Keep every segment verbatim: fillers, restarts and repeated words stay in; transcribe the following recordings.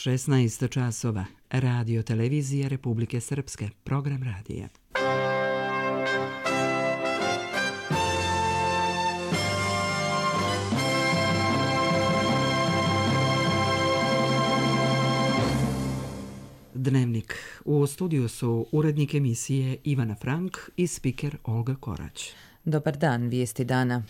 šesnaest časova. Radio televizija Republike Srpske. Program radija. Dnevnik. U studiju su urednik emisije Ivana Frank i spiker Olga Korać. Dobar dan, vijesti dana.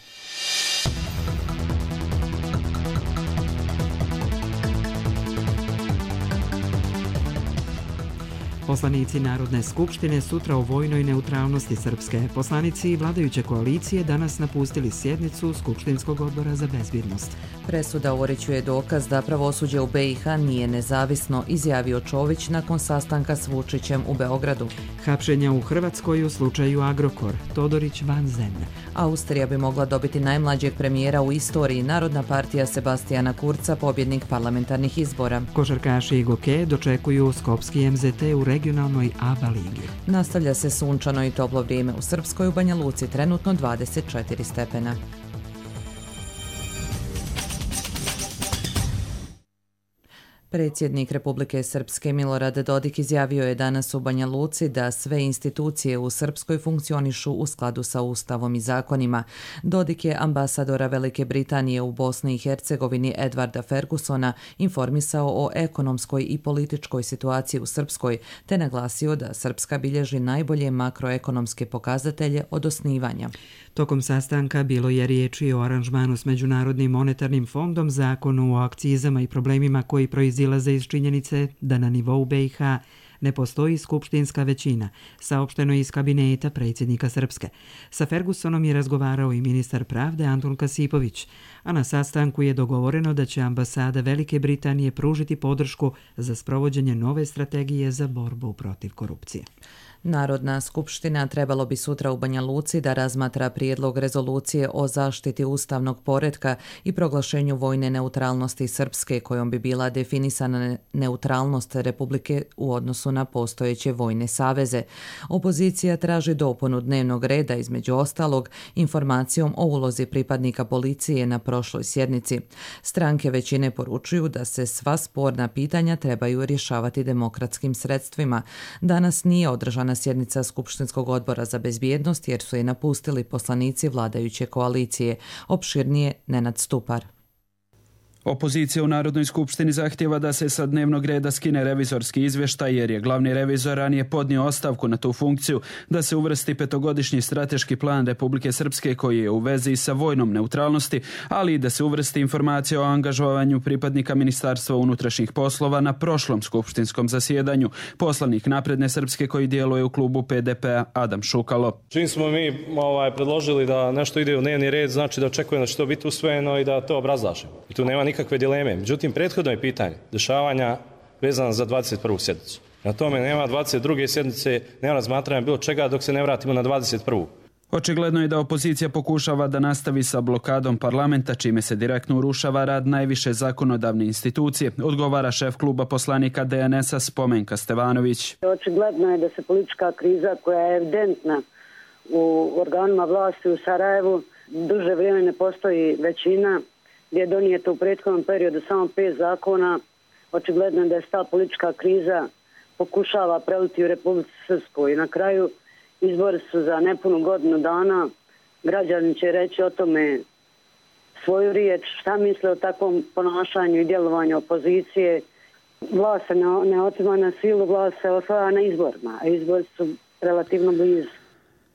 Poslanici Narodne skupštine sutra o vojnoj neutralnosti Srpske. Poslanici vladajuće koalicije danas napustili sjednicu Skupštinskog odbora za bezbjednost. Presuda uređuje dokaz da pravosuđe u be i ha nije nezavisno, izjavio Čović nakon sastanka s Vučićem u Beogradu. Hapšenja u Hrvatskoj u slučaju Agrokor. Todorić van zemlje. Austrija bi mogla dobiti najmlađeg premijera u istoriji. Narodna partija Sebastijana Kurca, pobjednik parlamentarnih izbora. Košarkaši Goke dočekuju Skopski em ze te u regionalnoj A B A ligi. Nastavlja se sunčano i toplo vrijeme u Srpskoj, u Banja Luci trenutno dvadeset četiri stepena. Predsjednik Republike Srpske Milorad Dodik izjavio je danas u Banja Luci da sve institucije u Srpskoj funkcionišu u skladu sa Ustavom i zakonima. Dodik je ambasadora Velike Britanije u Bosni i Hercegovini Edvarda Fergusona informisao o ekonomskoj i političkoj situaciji u Srpskoj, te naglasio da Srpska bilježi najbolje makroekonomske pokazatelje od osnivanja. Tokom sastanka bilo je riječi o aranžmanu s Međunarodnim monetarnim fondom, zakonu o akcizama i problemima koji proizilaze iz činjenice da na nivou be i ha ne postoji skupštinska većina, saopšteno iz kabineta predsjednika Srpske. Sa Fergusonom je razgovarao i ministar pravde Antun Kasipović, a na sastanku je dogovoreno da će ambasada Velike Britanije pružiti podršku za sprovođenje nove strategije za borbu protiv korupcije. Narodna skupština trebalo bi sutra u Banja Luci da razmatra prijedlog rezolucije o zaštiti ustavnog poretka i proglašenju vojne neutralnosti Srpske, kojom bi bila definisana neutralnost Republike u odnosu na postojeće vojne saveze. Opozicija traži dopunu dnevnog reda, između ostalog informacijom o ulozi pripadnika policije na prošloj sjednici. Stranke većine poručuju da se sva sporna pitanja trebaju rješavati demokratskim sredstvima. Danas nije održana sjednica Skupštinskog odbora za bezbjednost jer su je napustili poslanici vladajuće koalicije. Opširnije Nenad Stupar. Opozicija u Narodnoj skupštini zahtjeva da se sa dnevnog reda skine revizorski izvještaj jer je glavni revizor ranije podnio ostavku na tu funkciju, da se uvrsti petogodišnji strateški plan Republike Srpske koji je u vezi sa vojnom neutralnosti, ali i da se uvrsti informacija o angažovanju pripadnika Ministarstva unutrašnjih poslova na prošlom skupštinskom zasjedanju. Poslanik Napredne Srpske koji djeluje u klubu pe de pe-a Adam Šukalo. Čim smo mi ovaj, predložili da nešto ide u dnevni red, znači da očekujemo da će to biti usvojeno i da to obrazlažemo. I tu nema nikakve dileme. Međutim, prethodno je pitanje dešavanja vezano za dvadeset prvu sjednicu. Na tome nema dvadeset druge sjednice, nema razmatranja bilo čega dok se ne vratimo na dvadeset prvu. Očigledno je da opozicija pokušava da nastavi sa blokadom parlamenta, čime se direktno urušava rad najviše zakonodavne institucije, odgovara šef kluba poslanika de en es-a Spomenka Stevanović. Očigledno je da se politička kriza koja je evidentna u organima vlasti u Sarajevu, duže vrijeme ne postoji većina, gdje je donijeto u prethodnom periodu samo pet zakona. Očigledno je da je ta politička kriza pokušava preliti u Republici Srpskoj. I na kraju izbori su za nepunu godinu dana. Građani će reći o tome svoju riječ, šta misle o takvom ponašanju i djelovanju opozicije. Vlast se ne, ne otima na silu, vlast se osvaja na izborima, a izbori su relativno blizu.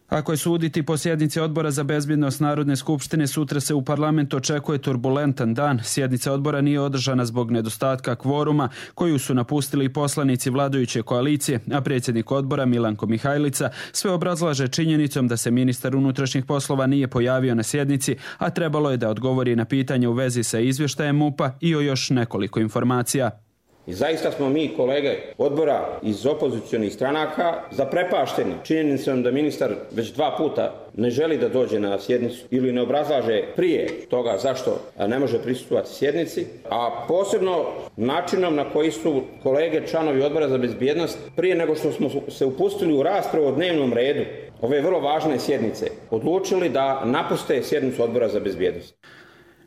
Ako je suditi po sjednici Odbora za bezbjednost Narodne skupštine, sutra se u parlamentu očekuje turbulentan dan. Sjednica odbora nije održana zbog nedostatka kvoruma koju su napustili poslanici vladajuće koalicije, a predsjednik odbora Milanko Mihajlica sve obrazlaže činjenicom da se ministar unutrašnjih poslova nije pojavio na sjednici, a trebalo je da odgovori na pitanje u vezi sa izvještajem M U P-a i o još nekoliko informacija. I zaista smo mi, kolege odbora iz opozicionih stranaka, zaprepašteni činjenicom da ministar već dva puta ne želi da dođe na sjednicu ili ne obrazlaže prije toga zašto ne može prisustvovati sjednici, a posebno načinom na koji su kolege članovi odbora za bezbjednost prije nego što smo se upustili u raspravu o dnevnom redu ove vrlo važne sjednice odlučili da napuste sjednicu odbora za bezbjednost.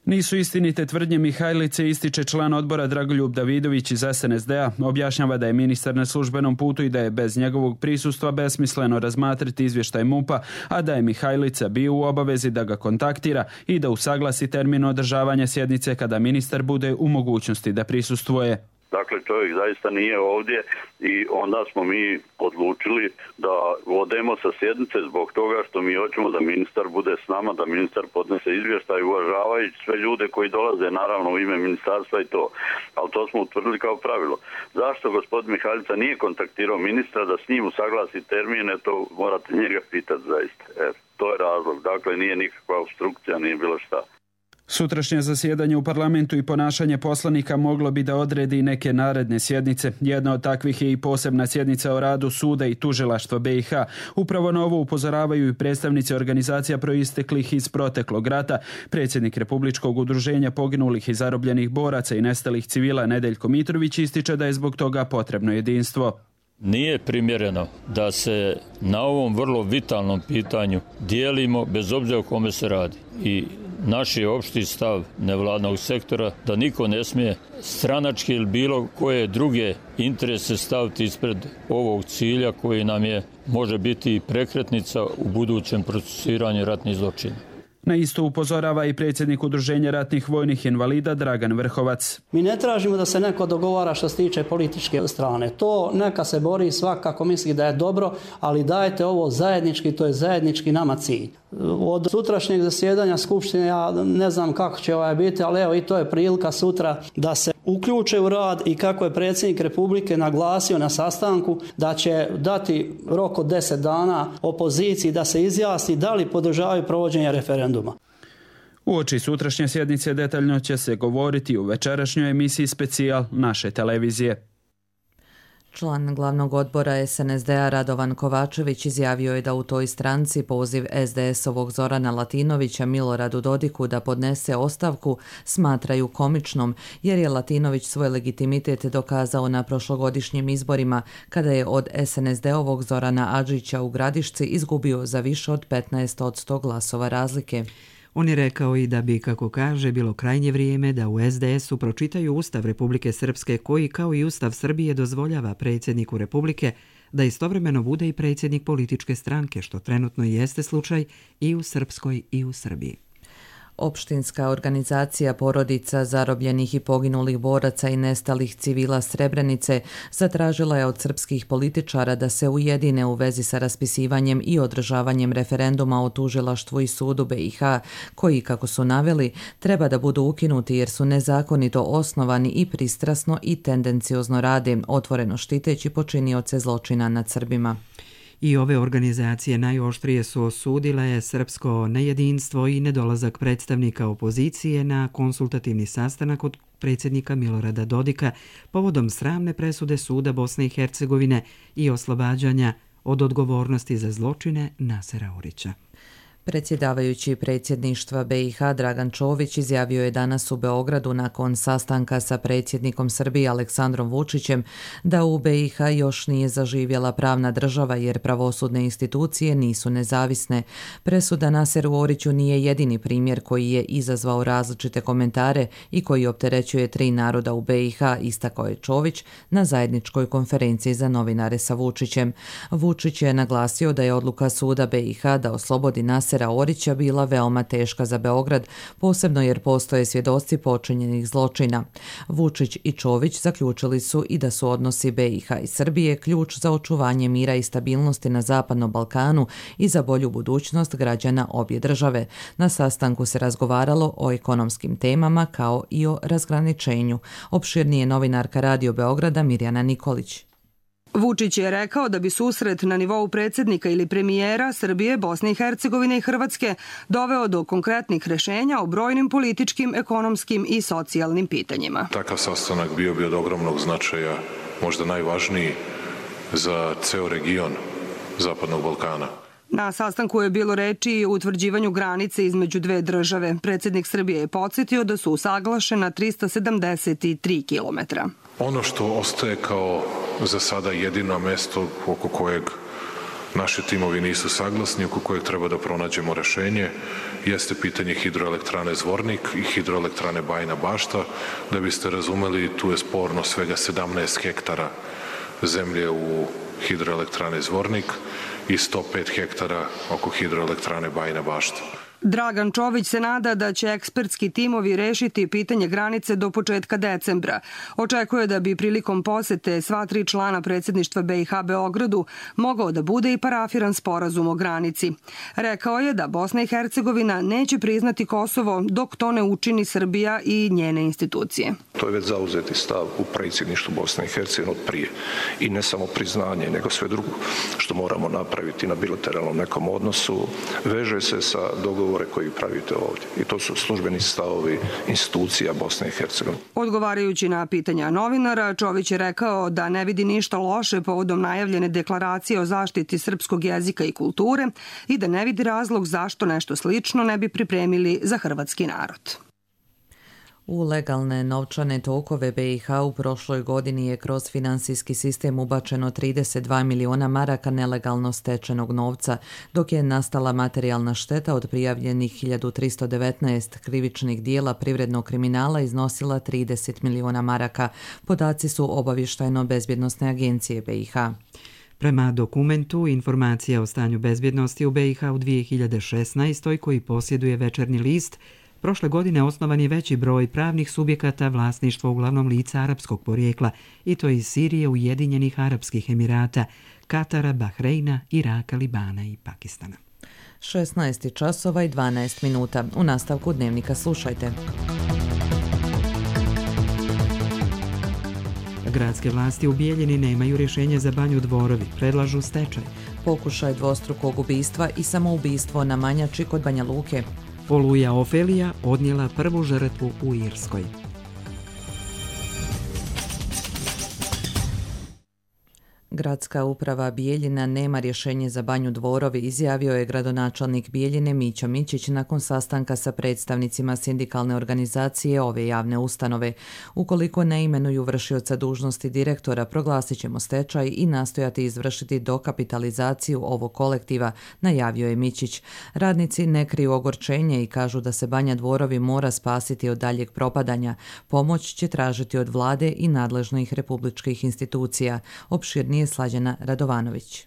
Nisu istinite tvrdnje Mihajlice, ističe član odbora Dragoljub Davidović iz S N S D-a. Objašnjava da je ministar na službenom putu i da je bez njegovog prisustva besmisleno razmatrati izvještaj M U P-a, a da je Mihajlica bio u obavezi da ga kontaktira i da usaglasi termin održavanja sjednice kada ministar bude u mogućnosti da prisustvuje. Dakle, čovjek zaista nije ovdje i onda smo mi odlučili da odemo sa sjednice zbog toga što mi hoćemo da ministar bude s nama, da ministar podnese izvještaj uvažavajući sve ljude koji dolaze naravno u ime ministarstva i to. Ali to smo utvrdili kao pravilo. Zašto gospodin Mihajlica nije kontaktirao ministra da s njim usaglasi termine, to morate njega pitati zaista. E, to je razlog. Dakle, nije nikakva obstrukcija, nije bilo šta. Sutrašnje zasjedanje u parlamentu i ponašanje poslanika moglo bi da odredi neke naredne sjednice. Jedna od takvih je i posebna sjednica o radu suda i tužilaštva B i H. Upravo na ovo upozoravaju i predstavnici organizacija proisteklih iz proteklog rata. Predsjednik Republičkog udruženja poginulih i zarobljenih boraca i nestalih civila Nedeljko Mitrović ističe da je zbog toga potrebno jedinstvo. Nije primjereno da se na ovom vrlo vitalnom pitanju dijelimo bez obzira o kome se radi. I naš je opšti stav nevladnog sektora da niko ne smije stranački ili bilo koje druge interese staviti ispred ovog cilja koji nam je može biti prekretnica u budućem procesuiranju ratnih zločina. Na isto upozorava i predsjednik Udruženja ratnih vojnih invalida Dragan Vrhovac. Mi ne tražimo da se neko dogovara što se tiče političke strane. To neka se bori svakako misli da je dobro, ali dajte ovo zajednički, to je zajednički nama cilj. Od sutrašnjeg zasjedanja Skupštine ja ne znam kako će ovaj biti, ali evo i to je prilika sutra da se uključe u rad i kako je predsjednik Republike naglasio na sastanku da će dati rok od deset dana opoziciji da se izjasni da li podržavaju provođenje referenduma. Uoči sutrašnje sjednice detaljno će se govoriti u večerašnjoj emisiji Specijal naše televizije. Član glavnog odbora S N S D-a Radovan Kovačević izjavio je da u toj stranci poziv S D S-ovog Zorana Latinovića Miloradu Dodiku da podnese ostavku smatraju komičnom, jer je Latinović svoj legitimitet dokazao na prošlogodišnjim izborima kada je od S N S D-ovog Zorana Adžića u Gradišci izgubio za više od petnaest posto glasova razlike. On je rekao i da bi, kako kaže, bilo krajnje vrijeme da u S D S-u pročitaju Ustav Republike Srpske koji, kao i Ustav Srbije, dozvoljava predsjedniku Republike da istovremeno bude i predsjednik političke stranke, što trenutno jeste slučaj i u Srpskoj i u Srbiji. Opštinska organizacija porodica zarobljenih i poginulih boraca i nestalih civila Srebrenice zatražila je od srpskih političara da se ujedine u vezi sa raspisivanjem i održavanjem referenduma o tužilaštvu i sudu B i H, koji, kako su naveli, treba da budu ukinuti jer su nezakonito osnovani i pristrasno i tendenciozno rade, otvoreno štiteći počinioce zločina nad Srbima. I ove organizacije najoštrije su osudile srpsko nejedinstvo i nedolazak predstavnika opozicije na konsultativni sastanak od predsjednika Milorada Dodika povodom sramne presude suda Bosne i Hercegovine i oslobađanja od odgovornosti za zločine Nasera Orića. Predsjedavajući predsjedništva B i H Dragan Čović izjavio je danas u Beogradu nakon sastanka sa predsjednikom Srbije Aleksandrom Vučićem da u B i H još nije zaživjela pravna država jer pravosudne institucije nisu nezavisne. Presuda Naseru Oriću nije jedini primjer koji je izazvao različite komentare i koji opterećuje tri naroda u B i H, istakao je Čović na zajedničkoj konferenciji za novinare sa Vučićem. Vučić je naglasio da je odluka suda B i H da oslobodi Nasera Orića bila veoma teška za Beograd, posebno jer postoje svjedoci počinjenih zločina. Vučić i Čović zaključili su i da su odnosi B i H i Srbije ključ za očuvanje mira i stabilnosti na Zapadnom Balkanu i za bolju budućnost građana obje države. Na sastanku se razgovaralo o ekonomskim temama kao i o razgraničenju. Opširnije novinarka Radio Beograda Mirjana Nikolić. Vučić je rekao da bi susret na nivou predsjednika ili premijera Srbije, Bosne i Hercegovine i Hrvatske doveo do konkretnih rješenja o brojnim političkim, ekonomskim i socijalnim pitanjima. Takav sastanak bio bi od ogromnog značaja, možda najvažniji za ceo region Zapadnog Balkana. Na sastanku je bilo reči i o utvrđivanju granice između dve države. Predsjednik Srbije je podsjetio da su usaglašena trista sedamdeset tri kilometra. Ono što ostaje kao za sada jedino mesto oko kojeg naši timovi nisu saglasni, oko kojeg treba da pronađemo rešenje, jeste pitanje hidroelektrane Zvornik i hidroelektrane Bajina Bašta. Da biste razumeli, tu je sporno svega sedamnaest hektara zemlje u hidroelektrane Zvornik i sto pet hektara oko hidroelektrane Bajina Bašta. Dragan Čović se nada da će ekspertski timovi rešiti pitanje granice do početka decembra. Očekuje da bi prilikom posete sva tri člana predsjedništva B i H Beogradu mogao da bude i parafiran sporazum o granici. Rekao je da Bosna i Hercegovina neće priznati Kosovo dok to ne učini Srbija i njene institucije. To je već zauzeti stav u predsjedništvu Bosne i Hercegovine od prije. I ne samo priznanje, nego sve drugo što moramo napraviti na bilateralnom nekom odnosu, veže se sa dogovorom koji pravite ovdje. I to su službeni stavovi institucija Bosne i Hercegovine. Odgovarajući na pitanja novinara, Čović je rekao da ne vidi ništa loše povodom najavljene deklaracije o zaštiti srpskog jezika i kulture i da ne vidi razlog zašto nešto slično ne bi pripremili za hrvatski narod. U legalne novčane tokove B i H u prošloj godini je kroz finansijski sistem ubačeno trideset dva miliona maraka nelegalno stečenog novca, dok je nastala materijalna šteta od prijavljenih hiljadu tristo devetnaest krivičnih dijela privrednog kriminala iznosila trideset miliona maraka. Podaci su obavještajno-bezbjednosne agencije B i H. Prema dokumentu Informacija o stanju bezbjednosti u B i H u dvije hiljade šesnaestoj koji posjeduje Večernji list, prošle godine osnovan je veći broj pravnih subjekata vlasništva uglavnom lica arapskog porijekla, i to iz Sirije, Ujedinjenih Arapskih Emirata, Katara, Bahreina, Iraka, Libana i Pakistana. šesnaest časova i dvanaest minuta. U nastavku dnevnika slušajte. Gradske vlasti u Bijeljini nemaju rješenje za Banju Dvorovi, predlažu stečaj. Pokušaj dvostrukog ubistva i samoubistvo na Manjači kod Banja Luke. Oluja Ofelija odnijela prvu žrtvu u Irskoj. Gradska uprava Bijeljina nema rješenje za Banju Dvorovi, izjavio je gradonačelnik Bijeljine Mićo Mićić nakon sastanka sa predstavnicima sindikalne organizacije ove javne ustanove. Ukoliko ne imenuju vršioca dužnosti direktora, proglasit ćemo stečaj i nastojati izvršiti dokapitalizaciju ovog kolektiva, najavio je Mićić. Radnici ne kriju ogorčenje i kažu da se Banja Dvorovi mora spasiti od daljeg propadanja. Pomoć će tražiti od vlade i nadležnih republičkih institucija. Opširnije Slađana Radovanović.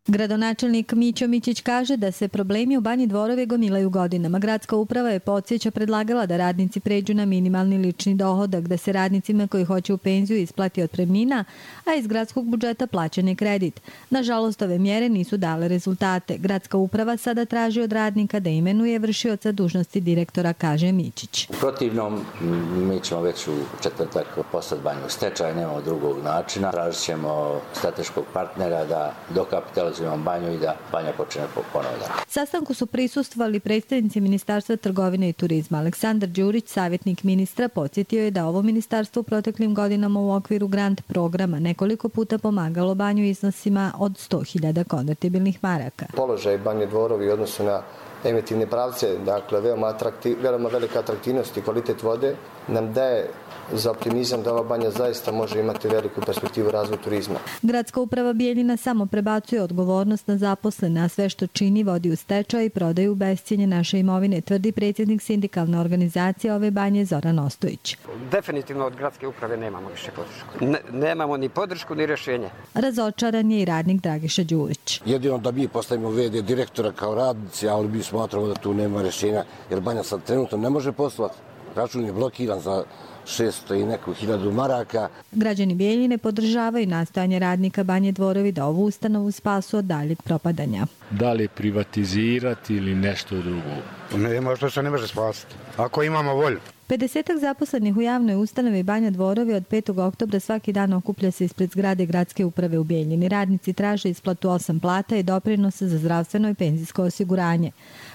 Gradonačelnik Mićo Mićić kaže da se problemi u Banji Dvorovi gomilaju godinama. Gradska uprava je podsjeća predlagala da radnici pređu na minimalni lični dohodak, da se radnicima koji hoće u penziju isplati otpremnina, a iz gradskog budžeta plaćen kredit. Nažalost, ove mjere nisu dale rezultate. Gradska uprava sada traži od radnika da imenuje vršioca dužnosti direktora, kaže Mićić. U protivnom, mi ćemo već u četvrtak poslati Banju u stečaj, nemamo drugog načina. Tražit ćemo strateškog partnera da dokapitalizujemo Banju i da Banja počne ponovno. Sastanku su prisustvovali predstavnici Ministarstva trgovine i turizma. Aleksandar Đurić, savjetnik ministra, podsjetio je da ovo ministarstvo u proteklim godinama u okviru grant programa nekoliko puta pomagalo Banju iznosima od sto hiljada konvertibilnih maraka. Položaj Banje Dvorovi u odnosu na emitivne pravce, dakle veoma, atraktiv, veoma velika atraktivnost i kvalitet vode nam daje za optimizam da ova banja zaista može imati veliku perspektivu razvoja turizma. Gradska uprava Bijeljina samo prebacuje odgovornost na zaposlene, a sve što čini vodi u stečaj i prodaju u bescjenje naše imovine, tvrdi predsjednik sindikalne organizacije ove banje Zoran Ostojić. Definitivno od gradske uprave nemamo više podršku. Ne, nemamo ni podršku ni rješenje. Razočaran je i radnik Dragiša Đurić. Jedino da mi postavimo ve de direktora kao radnici, ali mi smatramo da tu nema rješenja, jer banja sad trenutno ne može poslati. Račun je blokiran za šesto i neku hiljadu maraka. Građani Bijeljine podržavaju nastojanje radnika Banje Dvorovi da ovu ustanovu spasu od daljeg propadanja. Da li privatizirati ili nešto drugo? Ne, možda se ne može spasiti. Ako imamo volju. pedesetak zaposlenih u javnoj ustanovi Banja Dvorovi od petog oktobra svaki dan okuplja se ispred zgrade gradske uprave u Bijeljini. Radnici traže isplatu osam plata i doprinosa za zdravstveno i penzijsko osiguranje.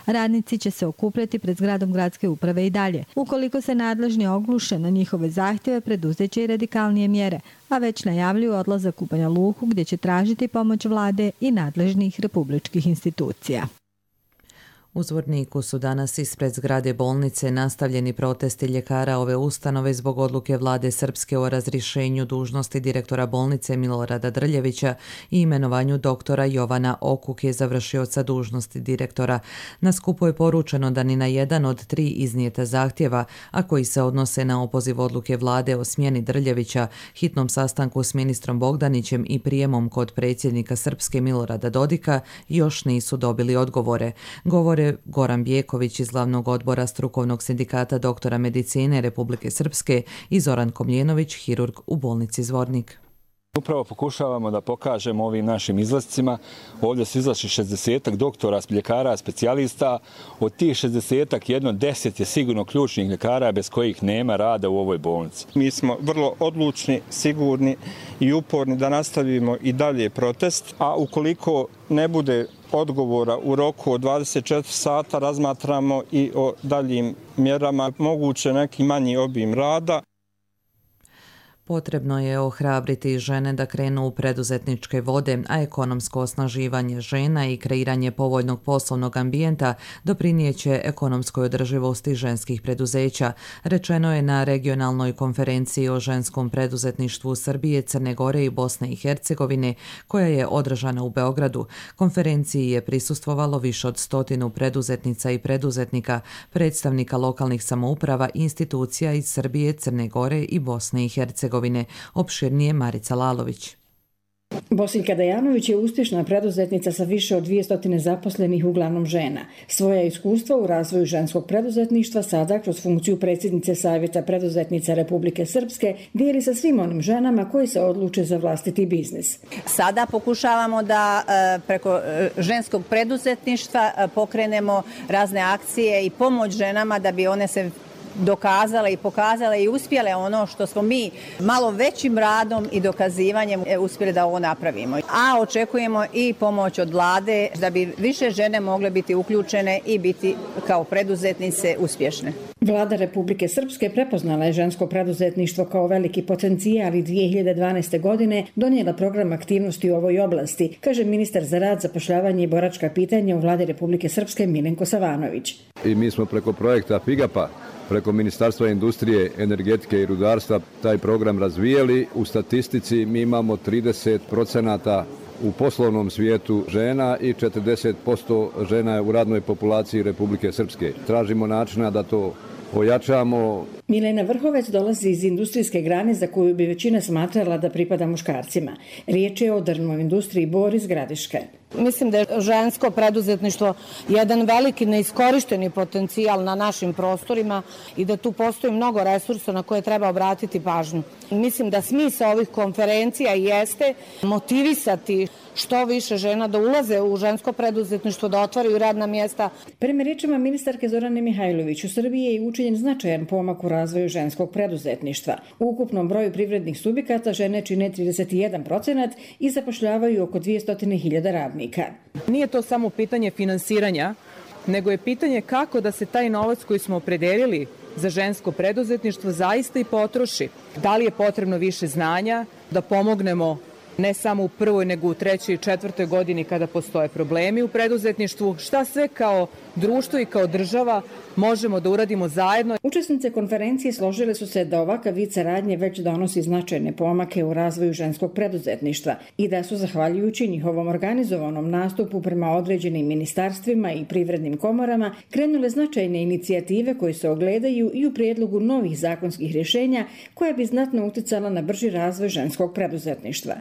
Radnici će se okupljati pred zgradom gradske uprave i dalje. Ukoliko se nadležni ogluše na njihove zahtjeve, preduzeće i radikalnije mjere, a već najavljuju odlazak u Banja Luku gdje će tražiti pomoć vlade i nadležnih republičkih institucija. U Zvorniku su danas ispred zgrade bolnice nastavljeni protesti ljekara ove ustanove zbog odluke vlade Srpske o razrješenju dužnosti direktora bolnice Milorada Drljevića i imenovanju doktora Jovana Okuke, završioca dužnosti direktora. Na skupu je poručeno da ni na jedan od tri iznijeta zahtjeva, a koji se odnose na opoziv odluke vlade o smjeni Drljevića, hitnom sastanku s ministrom Bogdanićem i prijemom kod predsjednika Srpske Milorada Dodika, još nisu dobili odgovore. Govore Goran Bjeković iz glavnog odbora strukovnog sindikata doktora medicine Republike Srpske i Zoran Komljenović, hirurg u bolnici Zvornik. Upravo pokušavamo da pokažemo ovim našim izlascima. Ovdje su izašli šezdesetak doktora, ljekara, specijalista. Od tih šezdesetak jedno deset je sigurno ključnih ljekara bez kojih nema rada u ovoj bolnici. Mi smo vrlo odlučni, sigurni i uporni da nastavimo i dalje protest, a ukoliko ne bude odgovora u roku od dvadeset četiri sata, razmatramo i o daljim mjerama, moguće neki manji obim rada. Potrebno je ohrabriti žene da krenu u preduzetničke vode, a ekonomsko osnaživanje žena i kreiranje povoljnog poslovnog ambijenta doprinijeće ekonomskoj održivosti ženskih preduzeća, rečeno je na regionalnoj konferenciji o ženskom preduzetništvu Srbije, Crne Gore i Bosne i Hercegovine, koja je održana u Beogradu. Konferenciji je prisustvovalo više od stotinu preduzetnica i preduzetnika, predstavnika lokalnih samouprava, institucija iz Srbije, Crne Gore i Bosne i Hercegovine. Opširnije Marica Lalović. Bosinka Dajanović je uspješna preduzetnica sa više od dvjesto zaposlenih, uglavnom žena. Svoja iskustva u razvoju ženskog preduzetništva sada kroz funkciju predsjednice Savjeta preduzetnica Republike Srpske dijeli sa svim onim ženama koji se odluče za vlastiti biznis. Sada pokušavamo da preko ženskog preduzetništva pokrenemo razne akcije i pomoć ženama da bi one se dokazale i pokazale i uspjele ono što smo mi malo većim radom i dokazivanjem uspjeli da ovo napravimo. A očekujemo i pomoć od vlade da bi više žene mogle biti uključene i biti kao preduzetnice uspješne. Vlada Republike Srpske prepoznala je žensko preduzetništvo kao veliki potencijal i dvije hiljade dvanaeste. godine donijela program aktivnosti u ovoj oblasti, kaže ministar za rad, zapošljavanje i boračka pitanja u Vladi Republike Srpske Milenko Savanović. I mi smo preko projekta Figapa, preko Ministarstva industrije, energetike i rudarstva taj program razvijeli. U statistici mi imamo trideset procenata u poslovnom svijetu žena i četrdeset posto žena u radnoj populaciji Republike Srpske. Tražimo načina da to ojačamo. Milena Vrhovec dolazi iz industrijske grane za koju bi većina smatrala da pripada muškarcima. Riječ je o drvnoj industriji Bor iz Gradiške. Mislim da je žensko preduzetništvo jedan veliki neiskorišteni potencijal na našim prostorima i da tu postoji mnogo resursa na koje treba obratiti pažnju. Mislim da smisao ovih konferencija jeste motivisati što više žena da ulaze u žensko preduzetništvo, da otvaraju radna mjesta. Prema riječima ministarke Zorane Mihajlović, u Srbiji je učinjen značajan pomak u razvoju ženskog preduzetništva. U ukupnom broju privrednih subjekata žene čine trideset jedan procenat i zapošljavaju oko dvjesto hiljada radnika. Nije to samo pitanje finansiranja, nego je pitanje kako da se taj novac koji smo opredelili za žensko preduzetništvo zaista i potroši. Da li je potrebno više znanja, da pomognemo ne samo u prvoj, nego u trećoj i četvrtoj godini kada postoje problemi u preduzetništvu, šta sve kao društvo i kao država možemo da uradimo zajedno. Učesnice konferencije složile su se da ovakav vid saradnje već donosi značajne pomake u razvoju ženskog preduzetništva i da su, zahvaljujući njihovom organizovanom nastupu prema određenim ministarstvima i privrednim komorama, krenule značajne inicijative koje se ogledaju i u prijedlogu novih zakonskih rješenja koja bi znatno uticala na brži razvoj ženskog preduzetništva.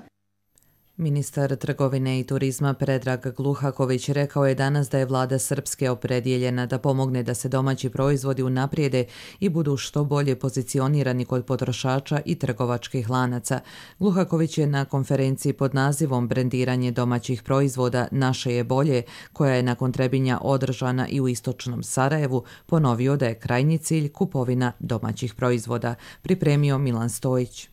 Ministar trgovine i turizma Predrag Gluhaković rekao je danas da je vlada Srpske opredijeljena da pomogne da se domaći proizvodi unaprijede i budu što bolje pozicionirani kod potrošača i trgovačkih lanaca. Gluhaković je na konferenciji pod nazivom Brendiranje domaćih proizvoda Naše je bolje, koja je nakon Trebinja održana i u istočnom Sarajevu, ponovio da je krajnji cilj kupovina domaćih proizvoda. Pripremio Milan Stojić.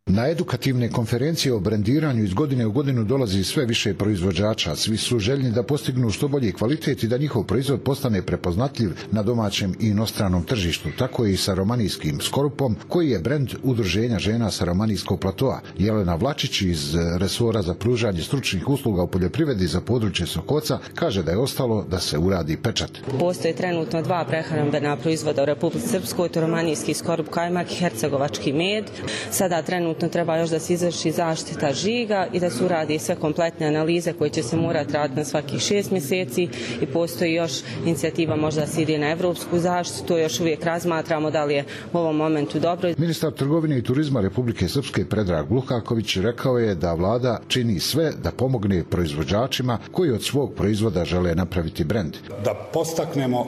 Na edukativne konferencije o brendiranju iz godine u godinu dolazi sve više proizvođača. Svi su željni da postignu što bolji kvalitet i da njihov proizvod postane prepoznatljiv na domaćem i inostranom tržištu. Tako je i sa romanijskim skorupom, koji je brend Udruženja žena sa romanijskog platoa. Jelena Vlačić iz resora za pružanje stručnih usluga u poljoprivredi za područje Sokoca kaže da je ostalo da se uradi pečat. Postoje trenutno dva prehrambena proizvoda u Republici Srpskoj, to romanijski skorup kajmak i hercegovački med. Sada trenutno treba još da se izvrši zaštita žiga i da se uradi sve kompletne analize koje će se morati raditi na svakih šest mjeseci i postoji još inicijativa možda da se ide na evropsku zaštitu, to još uvijek razmatramo da li je u ovom momentu dobro. Ministar trgovine i turizma Republike Srpske Predrag Lukaković rekao je da vlada čini sve da pomogne proizvođačima koji od svog proizvoda žele napraviti brend. Da podstaknemo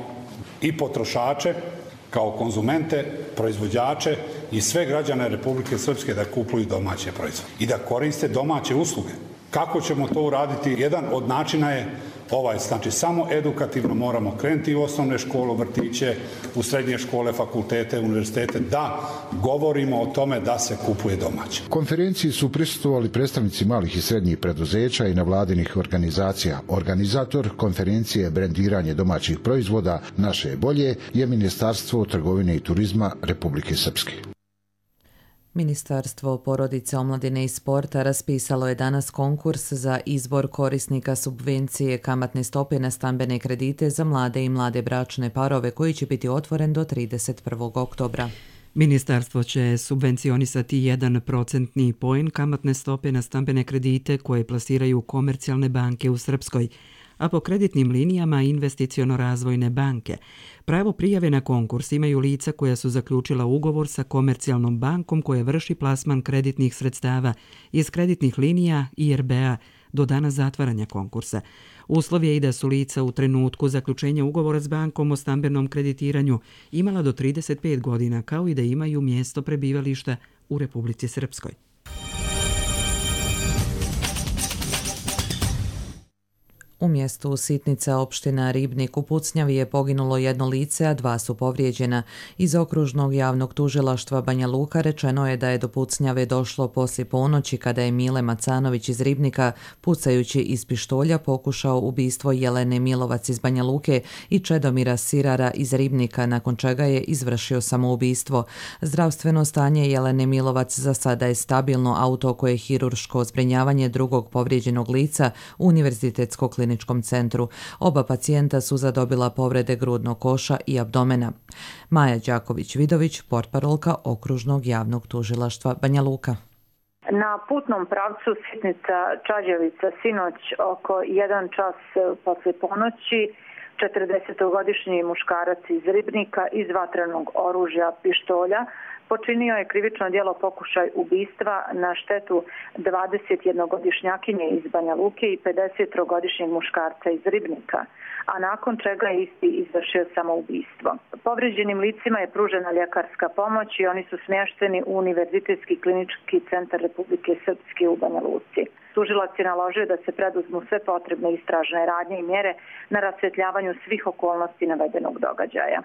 i potrošače kao konzumente, proizvođače i sve građane Republike Srpske da kupuju domaće proizvode i da koriste domaće usluge. Kako ćemo to uraditi? Jedan od načina je ovaj, znači samo edukativno moramo krenuti u osnovne škole, vrtiće, u srednje škole, fakultete, univerzitete, da govorimo o tome da se kupuje domaće. Konferenciji su prisustvovali predstavnici malih i srednjih preduzeća i nevladinih organizacija. Organizator konferencije Brendiranje domaćih proizvoda Naše bolje je Ministarstvo trgovine i turizma Republike Srpske. Ministarstvo porodice, omladine i sporta raspisalo je danas konkurs za izbor korisnika subvencije kamatne stope na stambene kredite za mlade i mlade bračne parove koji će biti otvoren do trideset prvog oktobra. Ministarstvo će subvencionisati jedan procentni poen kamatne stope na stambene kredite koje plasiraju komercijalne banke u Srpskoj, a po kreditnim linijama investiciono-razvojne banke. Pravo prijave na konkurs imaju lica koja su zaključila ugovor sa komercijalnom bankom koja vrši plasman kreditnih sredstava iz kreditnih linija I R B-a do dana zatvaranja konkursa. Uslov je i da su lica u trenutku zaključenja ugovora s bankom o stambenom kreditiranju imala do trideset pet godina, kao i da imaju mjesto prebivališta u Republici Srpskoj. U mjestu Sitnica, opština Ribnik u Pucnjavi je poginulo jedno lice, a dva su povrijeđena. Iz okružnog javnog tužilaštva Banja Luka rečeno je da je do Pucnjave došlo poslije ponoći kada je Mile Macanović iz Ribnika, pucajući iz pištolja, pokušao ubistvo Jelene Milovac iz Banja Luke i Čedomira Sirara iz Ribnika, nakon čega je izvršio samoubistvo. Zdravstveno stanje Jelene Milovac za sada je stabilno, a u toku je hirurško zbrinjavanje drugog povrijeđenog lica u Univerzitetskog kliničkom centru. Oba pacijenta su zadobila povrede grudnog koša i abdomena. Maja Đaković-Vidović, portparolka okružnog javnog tužilaštva Banja Luka. Na putnom pravcu Sitnica-Čađevica sinoć oko jedan čas posle ponoći četrdesetogodišnji muškarac iz Ribnika iz vatrenog oružja pištolja počinio je krivično djelo pokušaj ubistva na štetu dvadesetjednogodišnjakinje iz Banja Luke i pedesettrogodišnjeg muškarca iz Ribnika, a nakon čega je isti izvršio samoubistvo. Povrijeđenim licima je pružena ljekarska pomoć i oni su smješteni u Univerzitetski klinički centar Republike Srpske u Banja Luci. Tužilac je naložio da se preduzmu sve potrebne istražne radnje i mjere na rasvjetljavanju svih okolnosti navedenog događaja.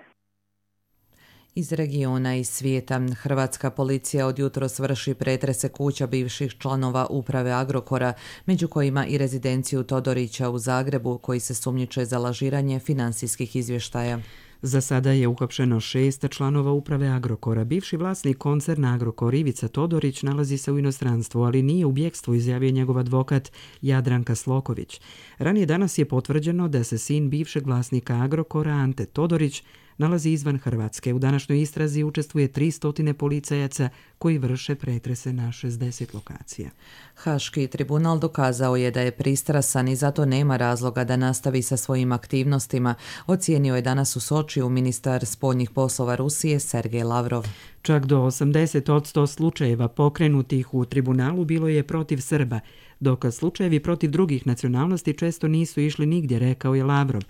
Iz regiona i svijeta, hrvatska policija od jutros vrši pretrese kuća bivših članova uprave Agrokora, među kojima i rezidenciju Todorića u Zagrebu, koji se sumnjiče za lažiranje finansijskih izvještaja. Za sada je uhapšeno šest članova uprave Agrokora. Bivši vlasnik koncerna Agrokor Ivica Todorić nalazi se u inostranstvu, ali nije u bjegstvu, izjavio njegov advokat Jadranka Sloković. Ranije danas je potvrđeno da se sin bivšeg vlasnika Agrokora Ante Todorić nalazi izvan Hrvatske. U današnjoj istrazi učestvuje tristo policajaca koji vrše pretrese na šezdeset lokacija. Haški tribunal dokazao je da je pristrasan i zato nema razloga da nastavi sa svojim aktivnostima, ocijenio je danas u Sočiju ministar spoljnih poslova Rusije Sergej Lavrov. Čak do osamdeset posto slučajeva pokrenutih u tribunalu bilo je protiv Srba, dok slučajevi protiv drugih nacionalnosti često nisu išli nigdje, rekao je Lavrov.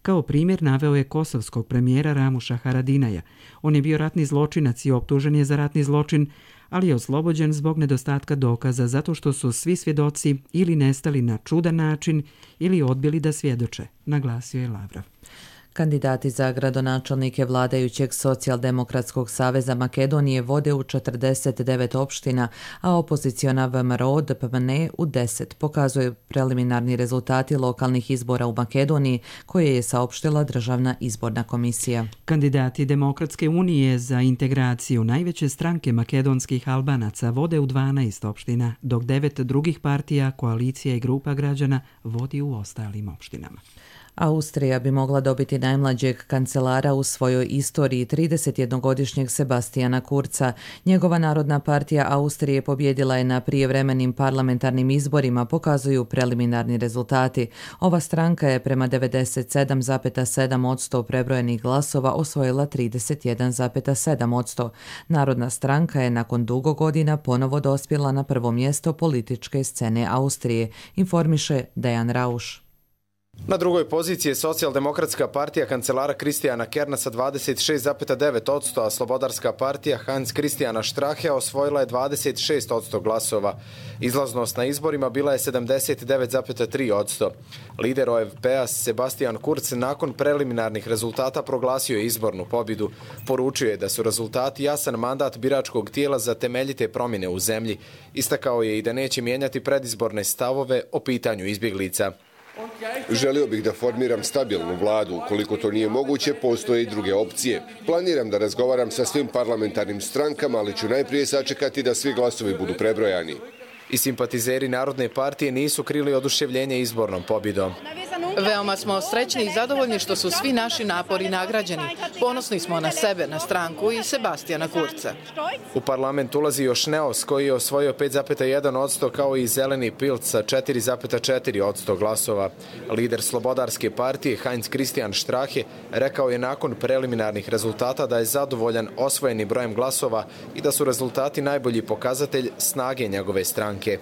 Kao primjer naveo je kosovskog premijera Ramuša Haradinaja. On je bio ratni zločinac i optužen je za ratni zločin, ali je oslobođen zbog nedostatka dokaza zato što su svi svjedoci ili nestali na čudan način ili odbili da svjedoče, naglasio je Lavrov. Kandidati za gradonačelnike vladajućeg Socijaldemokratskog saveza Makedonije vode u četrdeset devet opština, a opoziciona V M R O D P M N E u deset, pokazuju preliminarni rezultati lokalnih izbora u Makedoniji koje je saopštila Državna izborna komisija. Kandidati Demokratske unije za integraciju najveće stranke makedonskih Albanaca vode u dvanaest opština, dok devet drugih partija, koalicija i grupa građana vodi u ostalim opštinama. Austrija bi mogla dobiti najmlađeg kancelara u svojoj istoriji, tridesetjednogodišnjeg Sebastijana Kurza. Njegova Narodna partija Austrije pobjedila je na prijevremenim parlamentarnim izborima, pokazuju preliminarni rezultati. Ova stranka je prema devedeset sedam zarez sedam posto prebrojenih glasova osvojila trideset jedan zarez sedam posto. Narodna stranka je nakon dugo godina ponovo dospjela na prvo mjesto političke scene Austrije, informiše Dejan Rauš. Na drugoj poziciji je Socijaldemokratska partija kancelara Kristijana Kerna sa dvadeset šest zarez devet posto, a Slobodarska partija Hans Kristijana Strachea osvojila je dvadeset šest posto glasova. Izlaznost na izborima bila je sedamdeset devet zarez tri posto. Lider O F P-a Sebastian Kurz nakon preliminarnih rezultata proglasio je izbornu pobjedu. Poručio je da su rezultati jasan mandat biračkog tijela za temeljite promjene u zemlji. Istakao je i da neće mijenjati predizborne stavove o pitanju izbjeglica. Želio bih da formiram stabilnu vladu. Ukoliko to nije moguće, postoje i druge opcije. Planiram da razgovaram sa svim parlamentarnim strankama, ali ću najprije sačekati da svi glasovi budu prebrojani. I simpatizeri Narodne partije nisu krili oduševljenje izbornom pobjedom. Veoma smo srećni i zadovoljni što su svi naši napori nagrađeni. Ponosni smo na sebe, na stranku i Sebastijana Kurza. U parlament ulazi još Neos koji je osvojio pet zarez jedan posto kao i Zeleni Pilc sa četiri zarez četiri posto glasova. Lider Slobodarske partije Heinz Christian Strache rekao je nakon preliminarnih rezultata da je zadovoljan osvojenim brojem glasova i da su rezultati najbolji pokazatelj snage njegove stranke.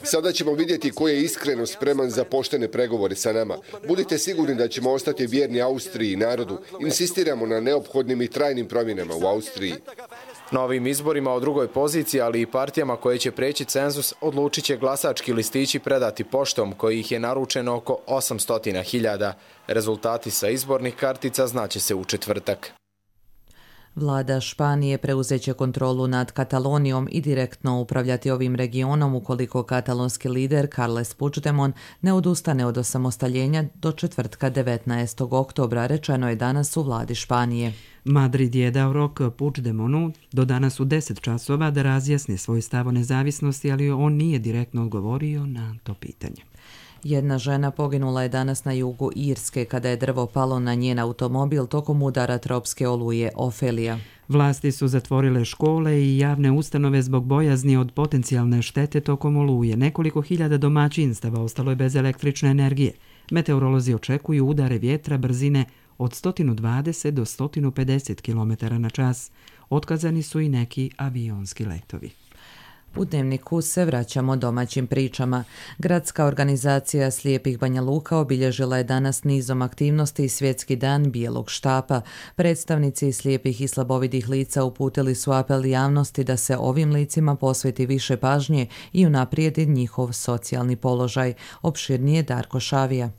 Sada ćemo vidjeti ko je iskreno spreman za poštene pregovore sa nama. Budite sigurni da ćemo ostati vjerni Austriji i narodu. Insistiramo na neophodnim i trajnim promjenama u Austriji. Novim izborima o drugoj poziciji, ali i partijama koje će preći cenzus, odlučit će glasački listići predati poštom, kojih je naručeno oko osamsto hiljada. Rezultati sa izbornih kartica znaće se u četvrtak. Vlada Španije preuzeće kontrolu nad Katalonijom i direktno upravljati ovim regionom ukoliko katalonski lider Carles Puigdemont ne odustane od osamostaljenja do četvrtka devetnaestog oktobra, rečeno je danas u vladi Španije. Madrid je dao rok Puigdemontu do danas u deset časova da razjasni svoj stav o nezavisnosti, ali on nije direktno odgovorio na to pitanje. Jedna žena poginula je danas na jugu Irske kada je drvo palo na njen automobil tokom udara tropske oluje Ofelija. Vlasti su zatvorile škole i javne ustanove zbog bojazni od potencijalne štete tokom oluje. Nekoliko hiljada domaćinstava ostalo je bez električne energije. Meteorolozi očekuju udare vjetra brzine od sto dvadeset do sto pedeset kilometara na čas. Otkazani su i neki avionski letovi. U Dnevniku se vraćamo domaćim pričama. Gradska organizacija slijepih Banja Luka obilježila je danas nizom aktivnosti Svjetski dan bijelog štapa. Predstavnici slijepih i slabovidih lica uputili su apel javnosti da se ovim licima posveti više pažnje i unaprijedi njihov socijalni položaj. Opširnije Darko Šavija.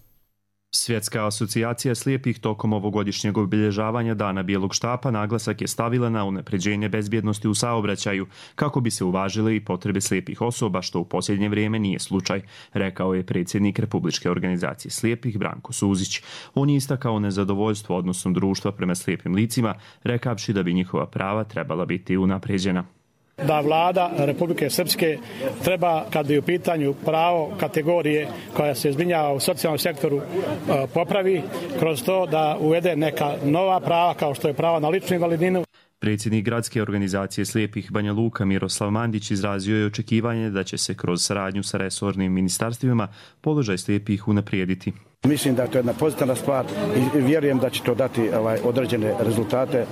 Svjetska asocijacija slijepih tokom ovogodišnjeg obilježavanja Dana bijelog štapa naglasak je stavila na unapređenje bezbjednosti u saobraćaju kako bi se uvažile i potrebe slijepih osoba, što u posljednje vrijeme nije slučaj, rekao je predsjednik Republičke organizacije slijepih Branko Suzić. On je istakao nezadovoljstvo odnosom društva prema slijepim licima, rekavši da bi njihova prava trebala biti unapređena. Da vlada Republike Srpske treba, kad je u pitanju pravo kategorije koja se zbrinjava u socijalnom sektoru, popravi kroz to da uvede neka nova prava kao što je pravo na ličnu invalidninu. Predsjednik Gradske organizacije slijepih Banja Luka Miroslav Mandić izrazio je očekivanje da će se kroz saradnju sa resornim ministarstvima položaj slijepih unaprijediti. Mislim da je to jedna pozitivna stvar i vjerujem da će to dati ovaj, određene rezultate e,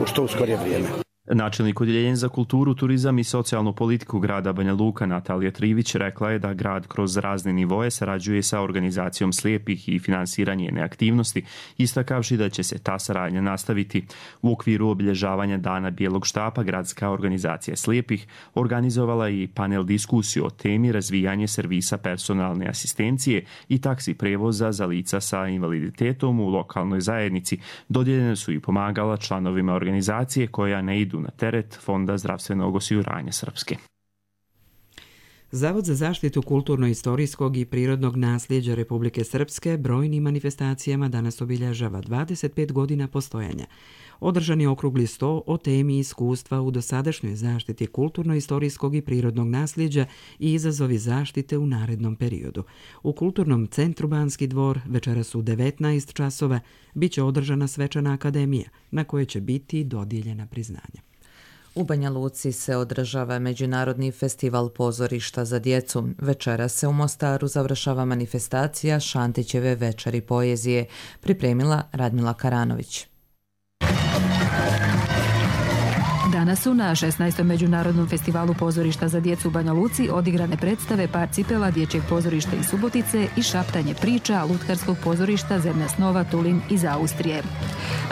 što u skorije vrijeme. Načelnik odjeljenja za kulturu, turizam i socijalnu politiku grada Banja Luka Natalija Trivić rekla je da grad kroz razne nivoje sarađuje sa organizacijom slijepih i finansiranje njene aktivnosti, istakavši da će se ta saradnja nastaviti. U okviru obilježavanja Dana bijelog štapa gradska organizacija slijepih organizovala i panel diskusiju o temi razvijanje servisa personalne asistencije i taksi prevoza za lica sa invaliditetom u lokalnoj zajednici. Dodijeljene su i pomagala članovima organizacije koja ne idu na teret Fonda zdravstvenog osiguranja Srpske. Zavod za zaštitu kulturno-istorijskog i prirodnog nasljeđa Republike Srpske brojnim manifestacijama danas obilježava dvadeset pet godina postojanja. Održan je okrugli sto o temi iskustva u dosadašnjoj zaštiti kulturno-istorijskog i prirodnog nasljeđa i izazovi zaštite u narednom periodu. U Kulturnom centru Banski dvor večeras u devetnaest časova biće održana svečana akademija na kojoj će biti dodijeljena priznanja. U Banja Luci se održava Međunarodni festival pozorišta za djecu. Večeras se u Mostaru završava manifestacija Šantićeve večeri poezije, pripremila Radmila Karanović. Danas su na šesnaestom Međunarodnom festivalu pozorišta za djecu u Banja Luci odigrane predstave Par cipela dječjeg pozorišta iz Subotice i Šaptanje priča lutkarskog pozorišta Zemlja snova Tulin iz Austrije.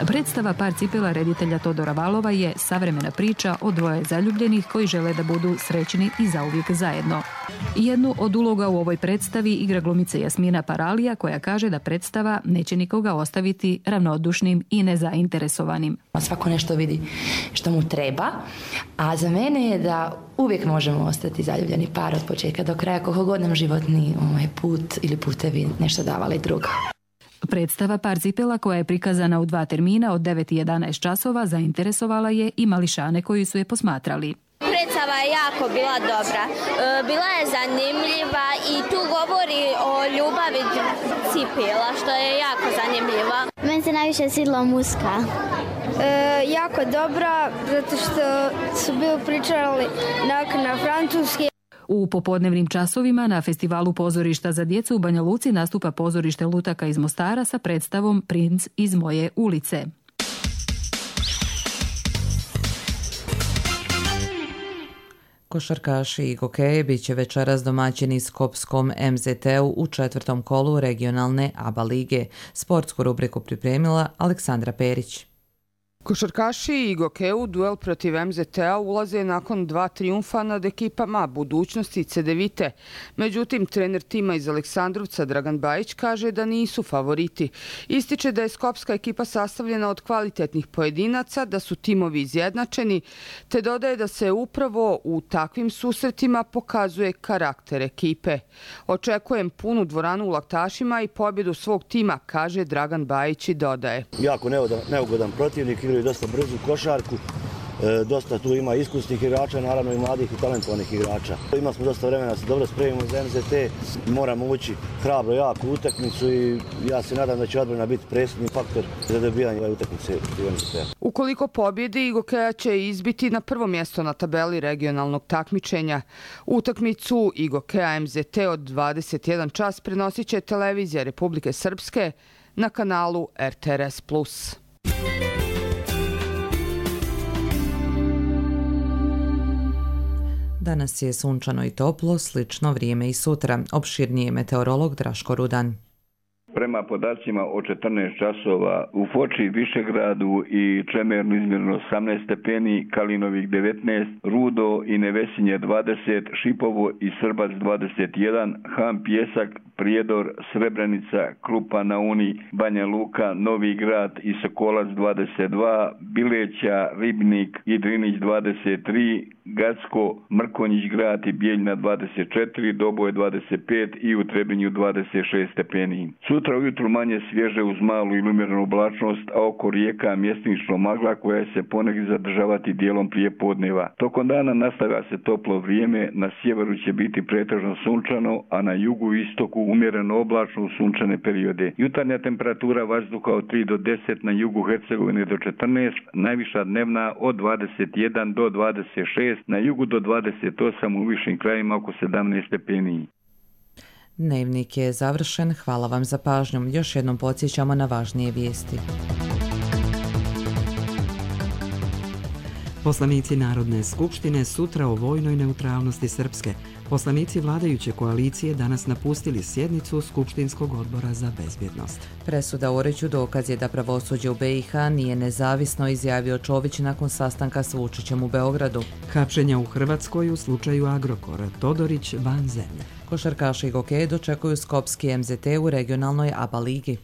Predstava Par cipela reditelja Todora Valova je savremena priča o dvoje zaljubljenih koji žele da budu srećni i zauvijek zajedno. Jednu od uloga u ovoj predstavi igra glumica Jasmina Paralija koja kaže da predstava neće nikoga ostaviti ravnodušnim i nezainteresovanim. Svako nešto vidi što mu treba, a za mene je da uvijek možemo ostati zaljubljeni par od početka do kraja, koliko god nam životni ovaj put ili putevi nešto davali drugo. Predstava Par cipela koja je prikazana u dva termina od devet i jedanaest časova zainteresovala je i mališane koji su je posmatrali. Predstava je jako bila dobra. Bila je zanimljiva i tu govori o ljubavi cipela, što je jako zanimljiva. Meni se najviše svidjela muska. E, jako dobra, zato što su bili pričali na, na francuski. U popodnevnim časovima na festivalu pozorišta za djecu u Banja Luci nastupa pozorište lutaka iz Mostara sa predstavom Princ iz moje ulice. Košarkaši i gokeji bit će večeras domaćini Skopskom em zet te-u u četvrtom kolu regionalne A B A lige. Sportsku rubriku pripremila Aleksandra Perić. Košarkaši i Gokeu duel protiv em zet te-a ulaze nakon dva trijumfa nad ekipama Budućnosti i Cedevite. Međutim, trener tima iz Aleksandrovca Dragan Bajić kaže da nisu favoriti. Ističe da je skopska ekipa sastavljena od kvalitetnih pojedinaca, da su timovi izjednačeni, te dodaje da se upravo u takvim susretima pokazuje karakter ekipe. Očekujem punu dvoranu u Laktašima i pobjedu svog tima, kaže Dragan Bajić i dodaje. Jako neugodan protivnik, i dosta brzu košarku, e, dosta tu ima iskusnih igrača, naravno i mladih i talentovanih igrača. Imali smo dosta vremena da se dobro spremimo za em zet te, moramo ući hrabro jaku utakmicu i ja se nadam da će odbrana biti presudni faktor za dobijanje ove utakmice u em zet te-a. Ukoliko pobjedi, Igokeja će izbiti na prvo mjesto na tabeli regionalnog takmičenja. Utakmicu Igokeja em zet te od dvadeset jedan čas prenosit će televizija Republike Srpske na kanalu er te er es plus. Danas je sunčano i toplo, slično vrijeme i sutra. Opširnije meteorolog Draško Rudan. Prema podacima o četrnaest časova u Foči, Višegradu i Čemernu izmjereno osamnaest stepeni, Kalinovik devetnaest, Rudo i Nevesinje dvadeset, Šipovo i Srbac dvadeset jedan, Han Pjesak, Prijedor, Srebrenica, Krupa na Uni, Banja Luka, Novi Grad i Sokolac dvadeset dva, Bileća, Ribnik i Drinić dvadeset tri, Gacko, Mrkonjić Grad i Bijeljna dvadeset četiri, Doboj dvadeset pet i u Trebinju dvadeset šest stepeni. Sutra ujutru manje svježe uz malu ili umjerenu oblačnost, a oko rijeka mjestimično magla koja se ponegdje zadržavati dijelom prije podneva. Tokom dana nastavlja se toplo vrijeme, na sjeveru će biti pretežno sunčano, a na jugu i istoku umjereno oblačno u sunčane periode. Jutarnja temperatura vazduha od tri do deset, na jugu Hercegovine do četrnaest, najviša dnevna od dvadeset jedan do dvadeset šest, na jugu do dvadeset osam, u višim krajima oko sedamnaest stepeni. Dnevnik je završen, hvala vam za pažnju. Još jednom podsjećamo na važnije vijesti. Poslanici Narodne skupštine sutra o vojnoj neutralnosti Srpske. Poslanici vladajuće koalicije danas napustili sjednicu Skupštinskog odbora za bezbjednost. Presuda Oriću dokaz je da pravosuđe u B i H nije nezavisno, izjavio Čović nakon sastanka s Vučićem u Beogradu. Hapšenja u Hrvatskoj u slučaju Agrokora. Todorić van zemlje. Košarkaši i gokeji dočekuju Skopski M Z T u regionalnoj A B A ligi.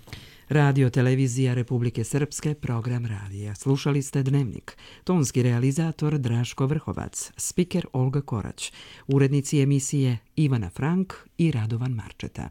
Radio Televizija Republike Srpske, program radija. Slušali ste Dnevnik. Tonski realizator Draško Vrhovac, spiker Olga Korać, urednici emisije Ivana Frank i Radovan Marčeta.